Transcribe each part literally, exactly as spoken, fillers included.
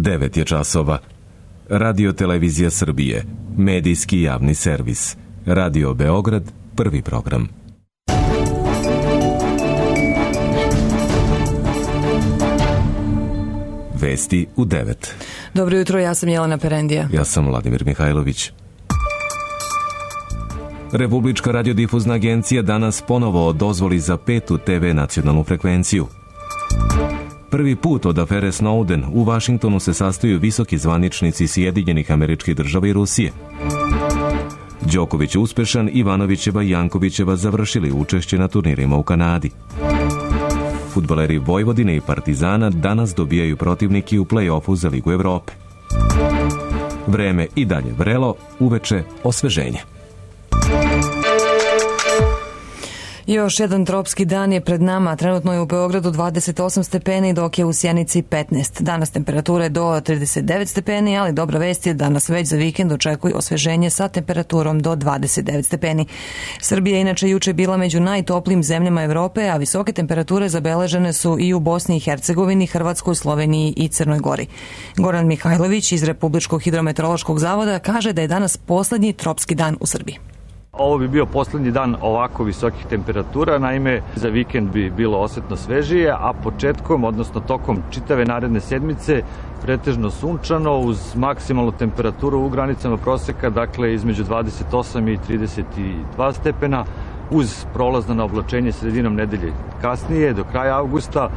devet je časova. Radio Televizija Srbije, medijski javni servis. Radio Beograd, prvi program. Vesti u devet. Dobro jutro, ja sam Jelena Perendija. Ja sam Vladimir Mihajlović. Republička radiodifuzna agencija danas ponovo dozvoli za petu te ve nacionalnu frekvenciju. Prvi put od afere Snowden u Vašingtonu se sastaju visoki zvaničnici Sjedinjenih Američkih Država i Rusije. Đoković uspešan, Ivanovićeva i Jankovićeva završili učešće na turnirima u Kanadi. Fudbaleri Vojvodine i Partizana danas dobijaju protivnike u play-offu za Ligu Evrope. Vreme i dalje vrelo, uveče osveženje. Još jedan tropski dan je pred nama. Trenutno je u Beogradu dvadeset osam stepeni, dok je u Sjenici petnaest. Danas temperature do trideset devet stepeni, ali dobra vest je danas već za vikend očekuju osveženje sa temperaturom do dvadeset devet stepeni. Srbija je inače juče bila među najtoplijim zemljama Evrope, a visoke temperature zabeležene su i u Bosni i Hercegovini, Hrvatskoj, Sloveniji i Crnoj Gori. Goran Mihajlović iz Republičkog hidrometeorološkog zavoda kaže da je danas poslednji tropski dan u Srbiji. Ovo bi bio poslednji dan ovako visokih temperatura, naime za vikend bi bilo osetno svežije, a početkom, odnosno tokom čitave naredne sedmice, pretežno sunčano uz maksimalnu temperaturu u granicama proseka, dakle između dvadeset osam i trideset dva stepena, uz prolazno na oblačenje sredinom nedelje. Kasnije, do kraja avgusta,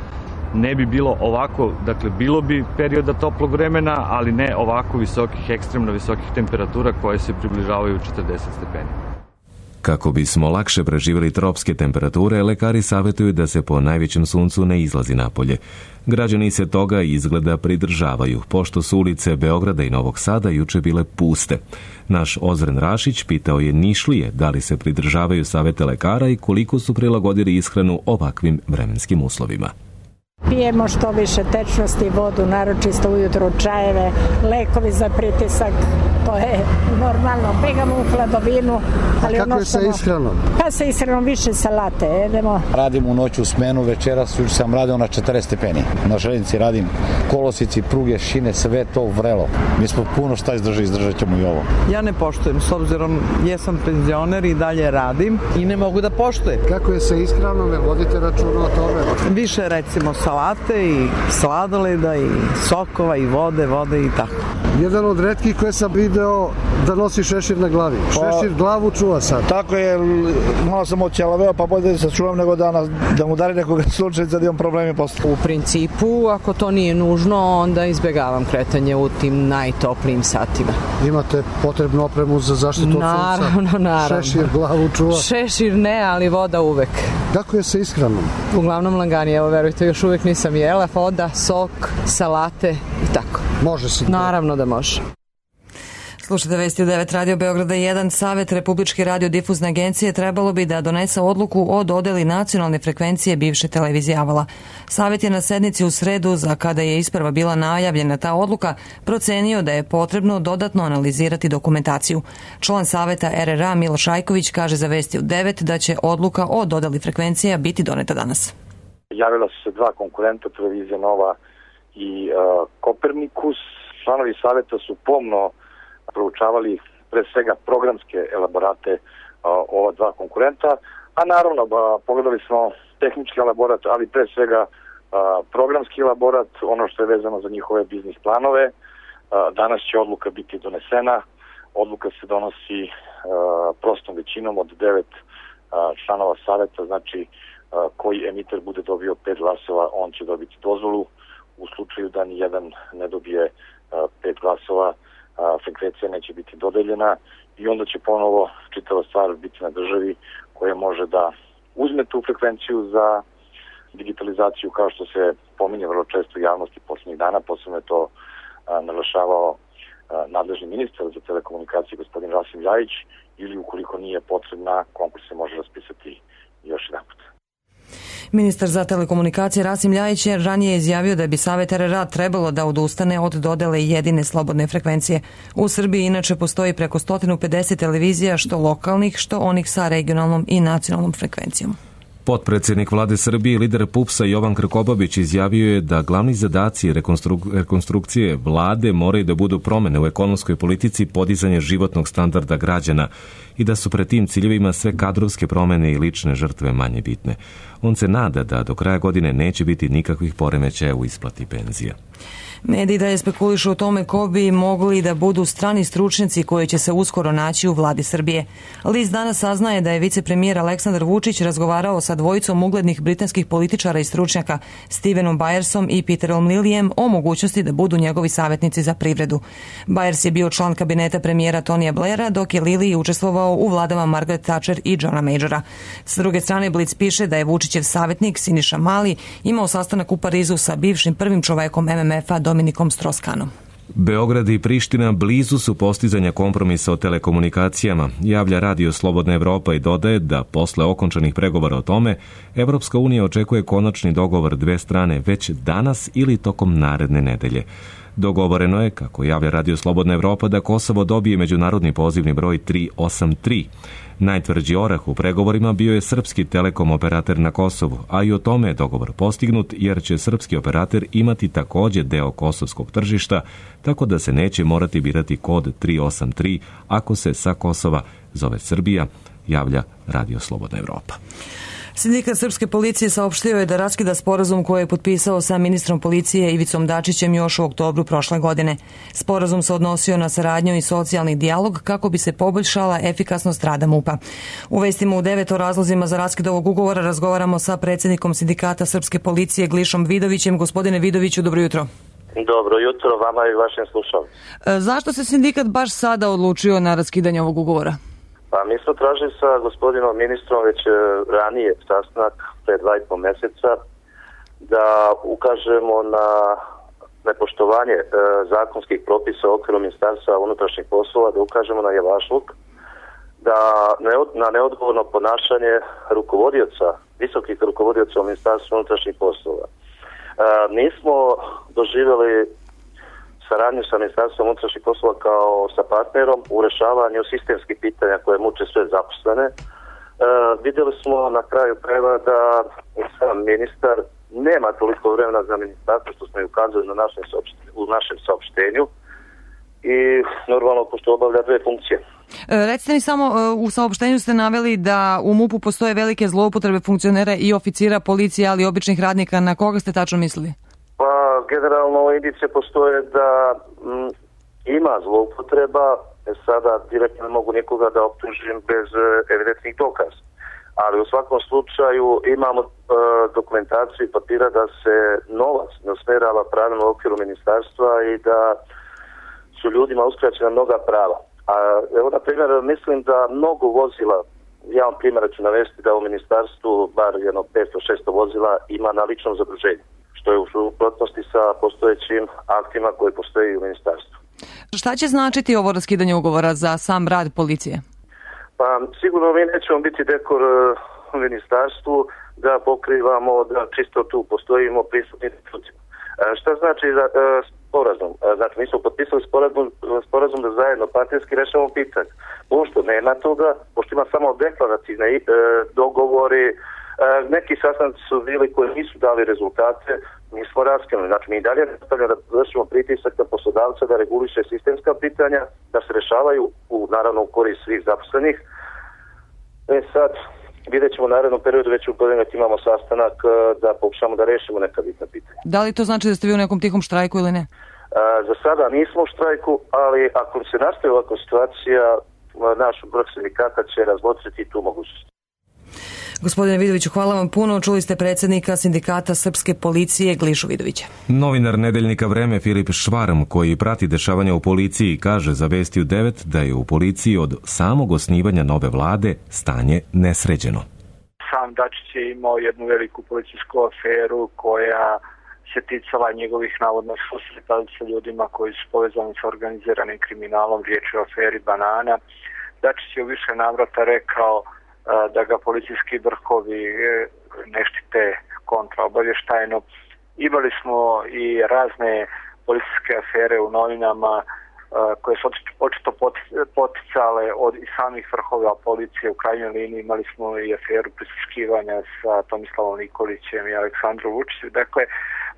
ne bi bilo ovako, dakle bilo bi perioda toplog vremena, ali ne ovako visokih, ekstremno visokih temperatura koje se približavaju četrdeset stepeni. Kako bismo lakše preživjeli tropske temperature, lekari savjetuju da se po najvećem suncu ne izlazi napolje. Građani se toga izgleda pridržavaju, pošto su ulice Beograda i Novog Sada juče bile puste. Naš Ozren Rašić pitao je Nišlije da li se pridržavaju savjete lekara i koliko su prilagodili ishranu ovakvim vremenskim uslovima. Pijemo što više tečnosti, vodu, naročisto ujutro čajeve, lekovi za pritisak, to je normalno. Begamo u hladovinu. Ali A kako ono je sa ishranom? Pa sa ishranom više salate jedemo. Radim u noću smenu, večeras juče sam radio na četrdeset stepeni. Na željeznici radim kolosici, pruge, šine, sve to vrelo. Mi smo puno šta izdržali, izdržat ćemo i ovo. Ja ne poštujem, s obzirom jesam penzioner i dalje radim i ne mogu da poštujem. Kako je sa ishranom, jer vodite računa o tome? Više recimo salate i sladoleda i sokova i vode, vode i tako. Jedan od retkih koje sam video da nosi šešir na glavi. Šešir glavu čuva sad. Tako je, malo sam oćelaveo, pa bolje da se čuvam nego da, nas, da mu dari nekoga slučajca da imam problemi posle. U principu, ako to nije nužno, onda izbegavam kretanje u tim najtoplijim satima. Imate potrebnu opremu za zaštitu od sunca? Naravno, naravno. Šešir glavu čuva? Šešir ne, ali voda uvek. Kako je sa ishranom? Uglavnom langani, evo verujte, još uvek nisam jela, voda, sok, salate i tako. Može se. Naravno da može. Slušajte vesti u devet Radio Beograda jedan. Savet Republičke radiodifuzne agencije trebalo bi da donese odluku o dodeli nacionalne frekvencije bivše televizije Avala. Savet je na sednici u sredu, za kada je isprva bila najavljena ta odluka, procenio da je potrebno dodatno analizirati dokumentaciju. Član Saveta er er a Miloš Ajković kaže za vesti u devet da će odluka o dodeli frekvencija biti doneta danas. Javila su se dva konkurenta, televizija Nova i uh, Kopernikus. Članovi saveta su pomno proučavali pre svega programske elaborate uh, ova dva konkurenta, a naravno ba, pogledali smo tehnički elaborat, ali pre svega uh, programski elaborat, ono što je vezano za njihove biznis planove. Uh, danas će odluka biti donesena. Odluka se donosi uh, prostom većinom od devet uh, članova saveta, znači uh, koji emiter bude dobio pet glasova, on će dobiti dozvolu. U slučaju da ni jedan ne dobije uh, pet glasova, a, frekvencija neće biti dodeljena i onda će ponovo čitava stvar biti na državi koja može da uzme tu frekvenciju za digitalizaciju, kao što se pominje vrlo često u javnosti poslednjih dana. Posebno je to a, naglašavao a, nadležni ministar za telekomunikacije gospodin Rasim Ljajić, ili ukoliko nije potrebna, konkurs se može raspisati još jedan put. Ministar za telekomunikacije Rasim Ljajić je ranije izjavio da bi Savet er er a trebalo da odustane od dodele jedine slobodne frekvencije. U Srbiji inače postoji preko sto pedeset televizija, što lokalnih, što onih sa regionalnom i nacionalnom frekvencijom. Potpredsjednik vlade Srbije i lider PUPS-a Jovan Krkobabić izjavio je da glavni zadaci rekonstruk- rekonstrukcije vlade moraju da budu promene u ekonomskoj politici, podizanje životnog standarda građana i da su pred tim ciljevima sve kadrovske promene i lične žrtve manje bitne. On se nada da do kraja godine neće biti nikakvih poremećaja u isplati penzija. Mediji dalje spekulišu o tome ko bi mogli da budu strani stručnjaci koji će se uskoro naći u vladi Srbije. List danas saznaje da je vicepremijer Aleksandar Vučić razgovarao sa dvojicom uglednih britanskih političara i stručnjaka Stevenom Byersom i Peterom Lillijem o mogućnosti da budu njegovi savjetnici za privredu. Byers je bio član kabineta premijera Tonija Blaira, dok je Lilly učestvovao u vladama Margaret Thatcher i Johna Majora. S druge strane, Blic piše da je Vučićev savjetnik Siniša Mali imao sastanak u Parizu sa bivšim prvim čovekom M M F-a Dominikom Stroskanom. Beograd i Priština blizu su postizanja kompromisa o telekomunikacijama, javlja Radio Slobodna Evropa i dodaje da posle okončanih pregovora o tome, Evropska unija očekuje konačni dogovor dve strane već danas ili tokom naredne nedelje. Dogovoreno je, kako javlja Radio Slobodna Evropa, da Kosovo dobije međunarodni pozivni broj tri osam tri. Najtvrđi orah u pregovorima bio je srpski telekom operater na Kosovu, a i o tome je dogovor postignut jer će srpski operater imati također deo kosovskog tržišta, tako da se neće morati birati kod tri osam tri ako se sa Kosova zove Srbija, javlja Radio Slobodna Evropa. Sindikat Srpske policije saopštio je da raskida sporazum koji je potpisao sa ministrom policije Ivicom Dačićem još u oktobru prošle godine. Sporazum se odnosio na saradnju i socijalni dijalog kako bi se poboljšala efikasnost rada MUP-a. U vestima u devet o razlozima za raskid ovog ugovora razgovaramo sa predsjednikom Sindikata Srpske policije Glišom Vidovićem. Gospodine Vidoviću, dobro jutro. Dobro jutro vama i vašim slušalcima. E, zašto se sindikat baš sada odlučio na raskidanje ovog ugovora? Pa mi smo tražili sa gospodinom ministrom već ranije sastanak pre dva i po meseca da ukažemo na nepoštovanje e, zakonskih propisa u okviru Ministarstva unutrašnjih poslova, da ukažemo na javašluk, da ne, na neodgovorno ponašanje rukovodioca, visokih rukovodioca u Ministarstvu unutrašnjih poslova. E, nismo doživjeli saradnju sa Ministarstvom unutrašnjih poslova kao sa partnerom u rešavanju sistemskih pitanja koje muče sve zaposlene. E, vidjeli smo na kraju krajeva da sam ministar nema toliko vremena za ministarstvo što smo i ukazali na našem u našem saopštenju i normalno pošto obavlja dve funkcije. E, recite mi samo, u saopštenju ste naveli da u MUP-u postoje velike zloupotrebe funkcionera i oficira policije, ali i običnih radnika. Na koga ste tačno mislili? Pa, generalno indicije postoje da m, ima zloupotreba, sada direktno ne mogu nikoga da optužim bez e, evidentnih dokaza. Ali u svakom slučaju imamo e, dokumentaciju i papira da se novac ne usmerava pravilno u okviru ministarstva i da su ljudima uskraćena mnoga prava. A evo, na primjer, mislim da mnogo vozila, ja vam primjer ću navesti da u ministarstvu bar jedno petsto šesto vozila ima na ličnom zaduženju, što je u suprotnosti sa postojećim aktima koji postoji u ministarstvu. Šta će značiti ovo raskidanje ugovora za sam rad policije? Pa sigurno mi nećemo biti dekor u ministarstvu da pokrivamo, da čisto tu postojimo prisutni ljudima. Šta znači da, sporazum? Znači mi smo potpisali sporazum, sporazum da zajedno partijski rešavamo pitanje. Pošto nema toga, pošto ima samo deklarativne e, dogovori, e, neki sastanci su bili koji nisu dali rezultate, mi smo raskinuli. Znači mi dalje nastavljamo da vršimo pritisak na poslodavca da reguliše sistemska pitanja, da se rešavaju u, naravno u korist svih zaposlenih. E sad, vidjet ćemo u narednom periodu, već u ponedeljak imamo sastanak da pokušamo da rešimo neka bitna pitanja. Da li to znači da ste vi u nekom tihom štrajku ili ne? A, za sada nismo u štrajku, ali ako se nastavi ovakva situacija, naš broj sindikata će razmotriti tu mogućnost. Gospodine Vidoviću, hvala vam puno. Čuli ste predsjednika Sindikata Srpske policije Glišu Vidovića. Novinar nedeljnika Vreme Filip Švarm, koji prati dešavanja u policiji, kaže za Vesti u devet da je u policiji od samog osnivanja nove vlade stanje nesređeno. Sam Dačić je imao jednu veliku policijsku aferu koja se ticala njegovih navodnih susreta sa ljudima koji su povezani sa organiziranim kriminalom, riječ je o aferi Banana. Dačić je u više navrata rekao da ga policijski vrhovi ne štite kontraobavještajno. Imali smo i razne policijske afere u novinama koje su očito poticale od i samih vrhova policije. U krajnjoj liniji imali smo i aferu prisluškivanja sa Tomislavom Nikolićem i Aleksandrom Vučićem. Dakle,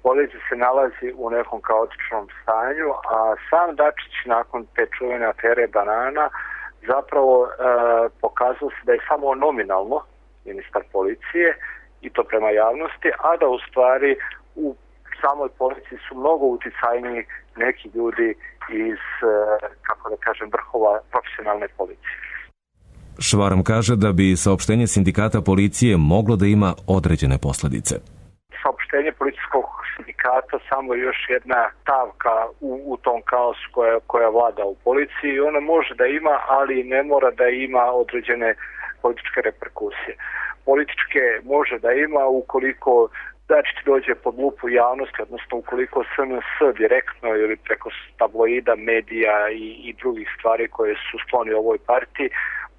policija se nalazi u nekom kaotičnom stanju, a sam Dačić nakon te čuvene afere Banana zapravo e, pokazao se da je samo nominalno ministar policije i to prema javnosti, a da u stvari u samoj policiji su mnogo uticajniji neki ljudi iz, kako da kažem, vrhova profesionalne policije. Švarm kaže da bi saopštenje sindikata policije moglo da ima određene posledice. Saopštenje policijskog sindikata samo je još jedna stavka u, u tom kaosu koja, koja vlada u policiji. Ona može da ima, ali ne mora da ima određene političke reperkusije. Političke može da ima ukoliko Dačić dođe pod lupu javnosti, odnosno ukoliko S N S direktno ili preko tabloida, medija i, i drugih stvari koje su skloni ovoj partiji,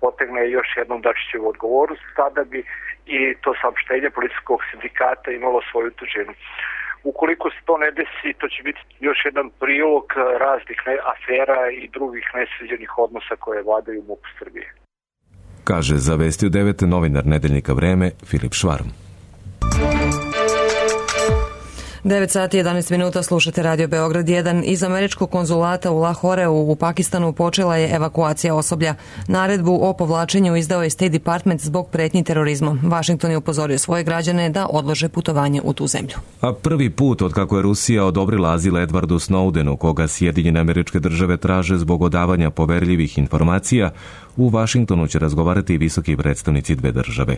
potegne još jednom Dačićevu odgovornost, tada bi i to saopštenje policijskog sindikata imalo svoju težinu. Ukoliko se to ne desi, to će biti još jedan prilog raznih afera i drugih nesređenih odnosa koje vladaju u MUP-u Srbije. Kaže za Vesti u devet novinar Nedeljnika Vreme Filip Švarm. devet sati i jedanaest minuta, slušate Radio Beograd jedan. Iz američkog konzulata u Lahoreu u Pakistanu počela je evakuacija osoblja. Naredbu o povlačenju izdao je State Department zbog pretnji terorizmom. Washington je upozorio svoje građane da odlože putovanje u tu zemlju. A prvi put od kako je Rusija odobrila azil Edwardu Snowdenu, koga Sjedinjene Američke Države traže zbog odavanja poverljivih informacija, u Vašingtonu će razgovarati visoki predstavnici dve države.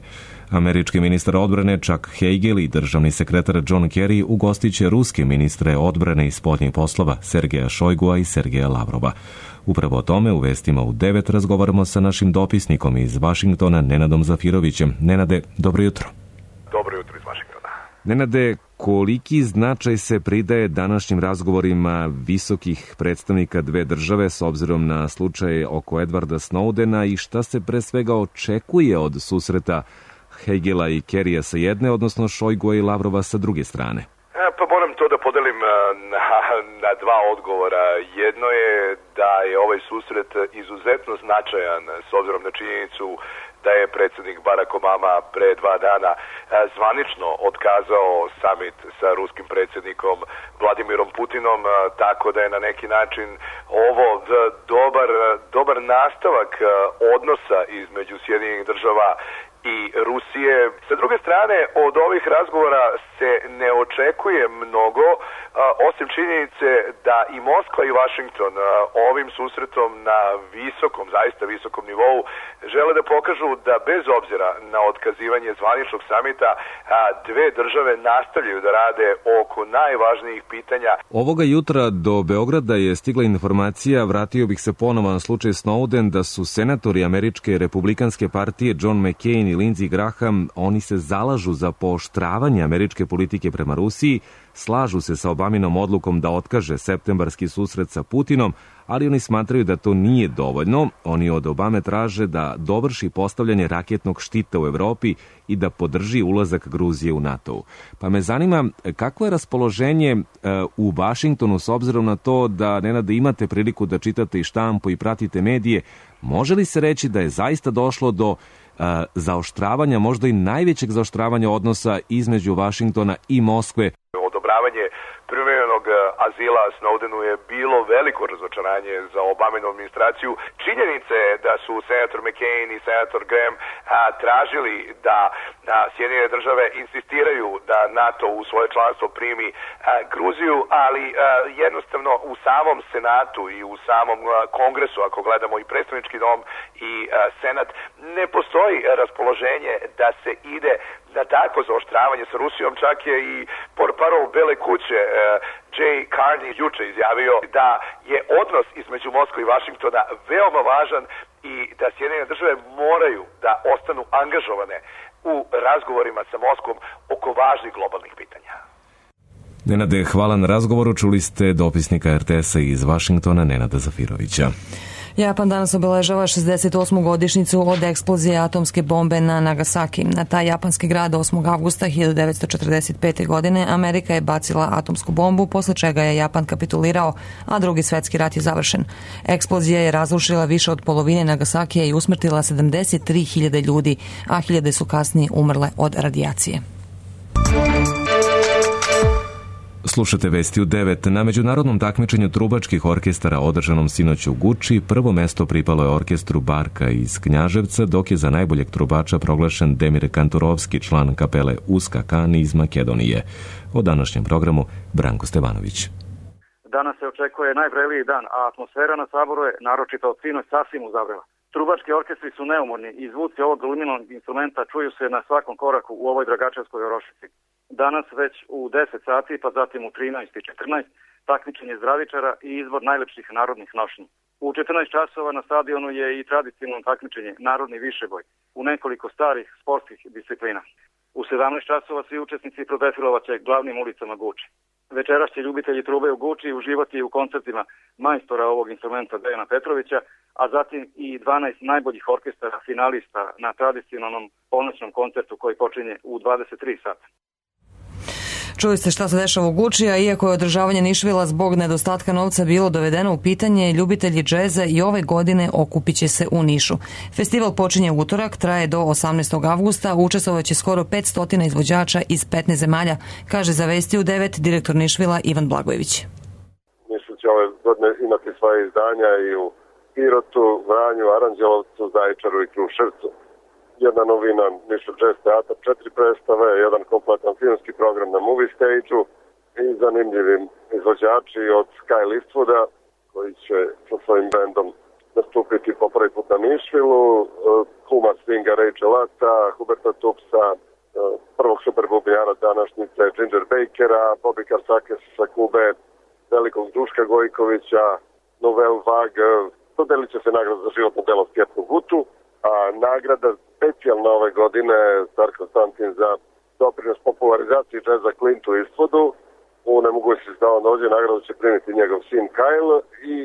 Američki ministar odbrane Chuck Hagel i državni sekretar John Kerry ugostit će ruske ministre odbrane i spoljnih poslova Sergeja Šojgua i Sergeja Lavrova. Upravo o tome u Vestima u devet razgovaramo sa našim dopisnikom iz Vašingtona Nenadom Zafirovićem. Nenade, dobro jutro. Dobro jutro iz Vašingtona. Nenade, koliki značaj se pridaje današnjim razgovorima visokih predstavnika dve države s obzirom na slučaj oko Edwarda Snowdena i šta se pre svega očekuje od susreta Hagela i Kerrya sa jedne, odnosno Šojgua i Lavrova sa druge strane? E, pa moram to da podelim na, na dva odgovora. Jedno je da je ovaj susret izuzetno značajan s obzirom na činjenicu da je predsjednik Barack Obama pre dva dana zvanično otkazao samit sa ruskim predsjednikom Vladimirom Putinom, tako da je na neki način ovo dobar, dobar nastavak odnosa između Sjedinjenih država i Rusije. Sa druge strane, od ovih razgovora se ne očekuje mnogo, osim činjenice da i Moskva i Washington ovim susretom na visokom, zaista visokom nivou žele da pokažu da bez obzira na otkazivanje zvaničnog samita, dve države nastavljaju da rade oko najvažnijih pitanja. Ovoga jutra do Beograda je stigla informacija, vratio bih se ponovo na slučaj Snowden, da su senatori američke republikanske partije John McCain i Lindsey Graham, oni se zalažu za pooštravanje američke politike prema Rusiji, slažu se sa Obaminom odlukom da otkaže septembarski susret sa Putinom, ali oni smatraju da to nije dovoljno. Oni od Obame traže da dovrši postavljanje raketnog štita u Evropi i da podrži ulazak Gruzije u NATO. Pa me zanima kako je raspoloženje u Vašingtonu s obzirom na to da, Nenade, imate priliku da čitate i štampu i pratite medije. Može li se reći da je zaista došlo do zaoštravanja, možda i najvećeg zaoštravanja odnosa između Vašingtona i Moskve? Odobravanje privremenog azila Snowdenu je bilo veliko razočaranje za Obaminu administraciju. Činjenica je da su senator McCain i senator Graham a, tražili da a, Sjedinjene države insistiraju da NATO u svoje članstvo primi a, Gruziju, ali a, jednostavno u samom Senatu i u samom a, Kongresu, ako gledamo i predstavnički dom i a, Senat, ne postoji raspoloženje da se ide na takvo zaoštravanje sa Rusijom. Čak je i portparol Bele kuće Jay Carney juče izjavio da je odnos između Moskve i Vašingtona veoma važan i da Sjedinjene države moraju da ostanu angažovane u razgovorima sa Moskvom oko važnih globalnih pitanja. Nenade, hvala na razgovoru. Čuli ste dopisnika R T S-a iz Vašingtona Nenada Zafirovića. Japan danas obeležava šezdeset osmu godišnjicu od eksplozije atomske bombe na Nagasaki. Na taj japanski grad osmog avgusta hiljadu devetsto četrdeset pete. godine Amerika je bacila atomsku bombu, posle čega je Japan kapitulirao, a drugi svetski rat je završen. Eksplozija je razrušila više od polovine Nagasakija i usmrtila sedamdeset tri hiljade ljudi, a hiljade su kasnije umrle od radijacije. Slušate vesti u devet. Na međunarodnom takmičenju trubačkih orkestara održanom sinoć u Guči prvo mesto pripalo je orkestru Barka iz Knjaževca, dok je za najboljeg trubača proglašen Demir Kanturovski, član kapele Uska Kani iz Makedonije. O današnjem programu Branko Stevanović. Danas se očekuje najvreliji dan, a atmosfera na Saboru je naročito od sinoć sasvim uzavrela. Trubački orkestri su neumorni i zvuci ovog luminog instrumenta čuju se na svakom koraku u ovoj Dragačevskoj Orošici. Danas već u deset sati, pa zatim u trinaest i četrnaest, takmičenje zdravičara i izbor najlepših narodnih nošnji. U četrnaest časova na stadionu je i tradicionalno takmičenje Narodni višeboj u nekoliko starih sportskih disciplina. U sedamnaest časova svi učesnici prodefilovaće glavnim ulicama Guči. Večeras će ljubitelji trube u Guči uživati u koncertima majstora ovog instrumenta Dejana Petrovića, a zatim i dvanaest najboljih orkestara finalista na tradicionalnom ponoćnom koncertu koji počinje u dvadeset tri sata. Čuli ste šta se dešava u Guči, a iako je održavanje Nišvila zbog nedostatka novca bilo dovedeno u pitanje, ljubitelji džeza i ove godine okupit će se u Nišu. Festival počinje u utorak, traje do osamnaestog avgusta, učestvovaće skoro petsto izvođača iz petnaest zemalja, kaže za Vesti u devet direktor Nišvila Ivan Blagojević. Nišu će ove godine imati svoje izdanja i u Pirotu, Vranju, Aranđelovcu, Zaječaru i Kruševcu. Jedna novina Nišu Jazz Teatar, četiri predstave, jedan kompletan filmski program na Movie Stage-u i zanimljivi izvođači od Sky Listwooda koji će sa svojim bandom nastupiti po prvi put na Nišvilu, kuma swinga Rachel Lata, Huberta Tupsa, prvog super bubnjara današnjice Ginger Bakera, Bobby Karsakis sa Kube, velikog Duška Gojkovića, Novel Vag, dodelit će se nagrada za životno delo Stjepnu Gutu, a nagrada specijalna ove godine Star Konstantin za doprinos popularizaciji džeza Clintu Eastwoodu. U nemogućnosti da on dođe, nagradu će primiti njegov sin Kyle i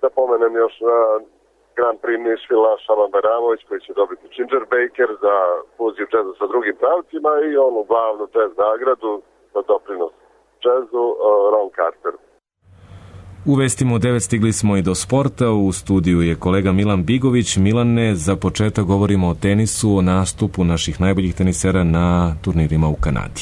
da pomenem još na Grand Prix Nišvila Šaban Bajramović koji će dobiti Ginger Baker za fuziju džeza sa drugim pravcima i onu glavnu džez nagradu za doprinos džezu Ron Carter. U vestima u devet stigli smo i do sporta. U studiju je kolega Milan Bigović. Milane, za početak govorimo o tenisu, o nastupu naših najboljih tenisera na turnirima u Kanadi.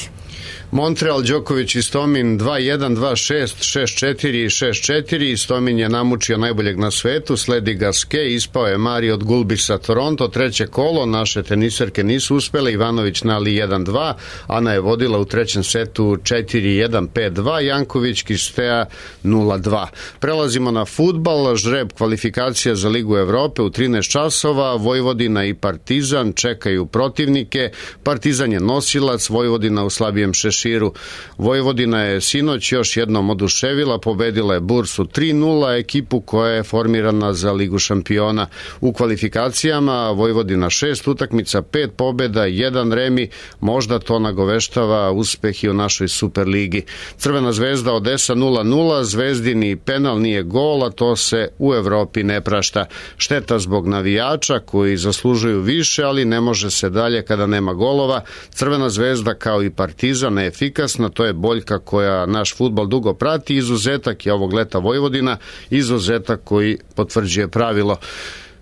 Montreal, Đoković i Stomin dva jedan, dva šest, šest četiri i šest četiri. Stomin je namučio najboljeg na svetu, sledi Gaske, ispao je Mari od Gulbisa Toronto, treće kolo, naše teniserke nisu uspele, Ivanović na Ali jedan dva, Ana je vodila u trećem setu četiri jedan, pet dva, Janković, Kistea nula dva. Prelazimo na fudbal, žreb kvalifikacija za Ligu Evrope u trinaest časova, Vojvodina i Partizan čekaju protivnike, Partizan je nosilac, Vojvodina u slabijem šeširu. Vojvodina je sinoć još jednom oduševila, pobedila je Bursu tri nula, ekipu koja je formirana za Ligu šampiona. U kvalifikacijama Vojvodina šest utakmica, pet pobeda, jedan remi, možda to nagoveštava uspeh i u našoj Superligi. Crvena zvezda Odesa nula nula, Zvezdini penal nije gol, a to se u Evropi ne prašta. Šteta zbog navijača koji zaslužuju više, ali ne može se dalje kada nema golova. Crvena zvezda kao i Partizan efikasna, to je boljka koja naš fudbal dugo prati, izuzetak je ovog leta Vojvodina, izuzetak koji potvrđuje pravilo.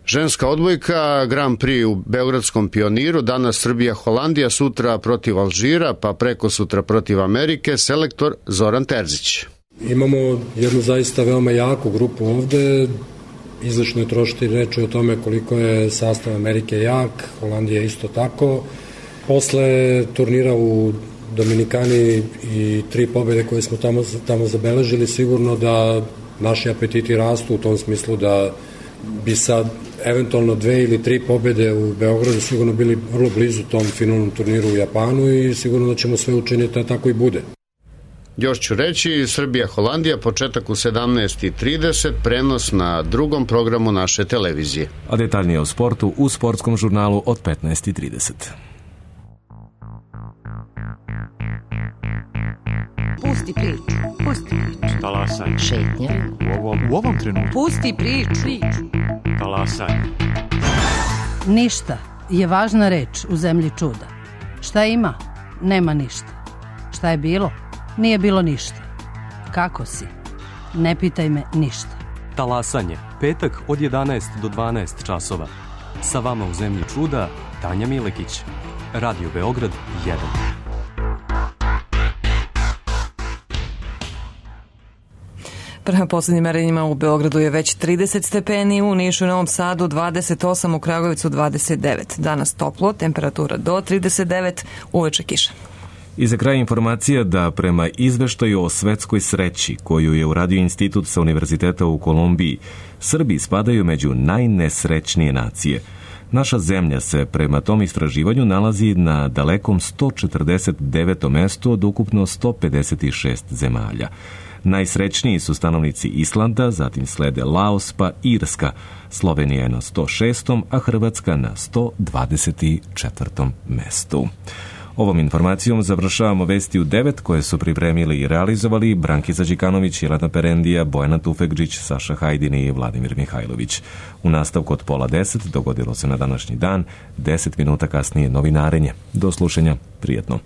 Ženska odbojka, Grand Prix u Beogradskom Pioniru, danas Srbija, Holandija, sutra protiv Alžira, pa preko sutra protiv Amerike, selektor Zoran Terzić. Imamo jednu zaista veoma jaku grupu ovde, izlično je trošiti reči o tome koliko je sastav Amerike jak, Holandija isto tako. Posle turnira u Dominikani i tri pobjede koje smo tamo, tamo zabeležili, sigurno da naši apetiti rastu u tom smislu da bi sad eventualno dve ili tri pobjede u Beogradu sigurno bili vrlo blizu tom finalnom turniru u Japanu i sigurno da ćemo sve učiniti da tako i bude. Još ću reći, Srbija-Holandija, početak u sedamnaest i trideset, prenos na drugom programu naše televizije. A detaljnije o sportu u sportskom žurnalu od petnaest i trideset. Pusti priču, pusti priču. Talasaj. Šetnja. U ovom, u ovom trenutku. Pusti priču. Talasanje. Ništa je važna reč u zemlji čuda. Šta ima? Nema ništa. Šta je bilo? Nije bilo ništa. Kako si? Ne pitaj me ništa. Talasanje, petak od jedanaest do dvanaest časova. Sa vama u zemlji čuda, Tanja Milekić. Radio Beograd jedan. Prema posljednjim merenjima u Beogradu je već trideset stepeni, u Nišu i Novom Sadu dvadeset osam, u Kragujevcu dvadeset devet. Danas toplo, temperatura do trideset devet, uveče kiša. I za kraj informacija da prema izveštaju o svetskoj sreći koju je uradio Institut sa Univerziteta u Kolumbiji, Srbi spadaju među najnesrećnije nacije. Naša zemlja se prema tom istraživanju nalazi na dalekom sto četrdeset devetom mestu od ukupno sto pedeset šest zemalja. Najsrećniji su stanovnici Islanda, zatim slede Laos pa Irska. Slovenija je na sto šestom, a Hrvatska na sto dvadeset četvrtom mestu. Ovom informacijom završavamo vesti u devet koje su pripremili i realizovali Brankica Đikanović, Jelena Perendija, Bojana Tufegđić, Saša Hajdin i Vladimir Mihajlović. U nastavku od pola deset dogodilo se na današnji dan, deset minuta kasnije novinarenje. Do slušanja, prijetno.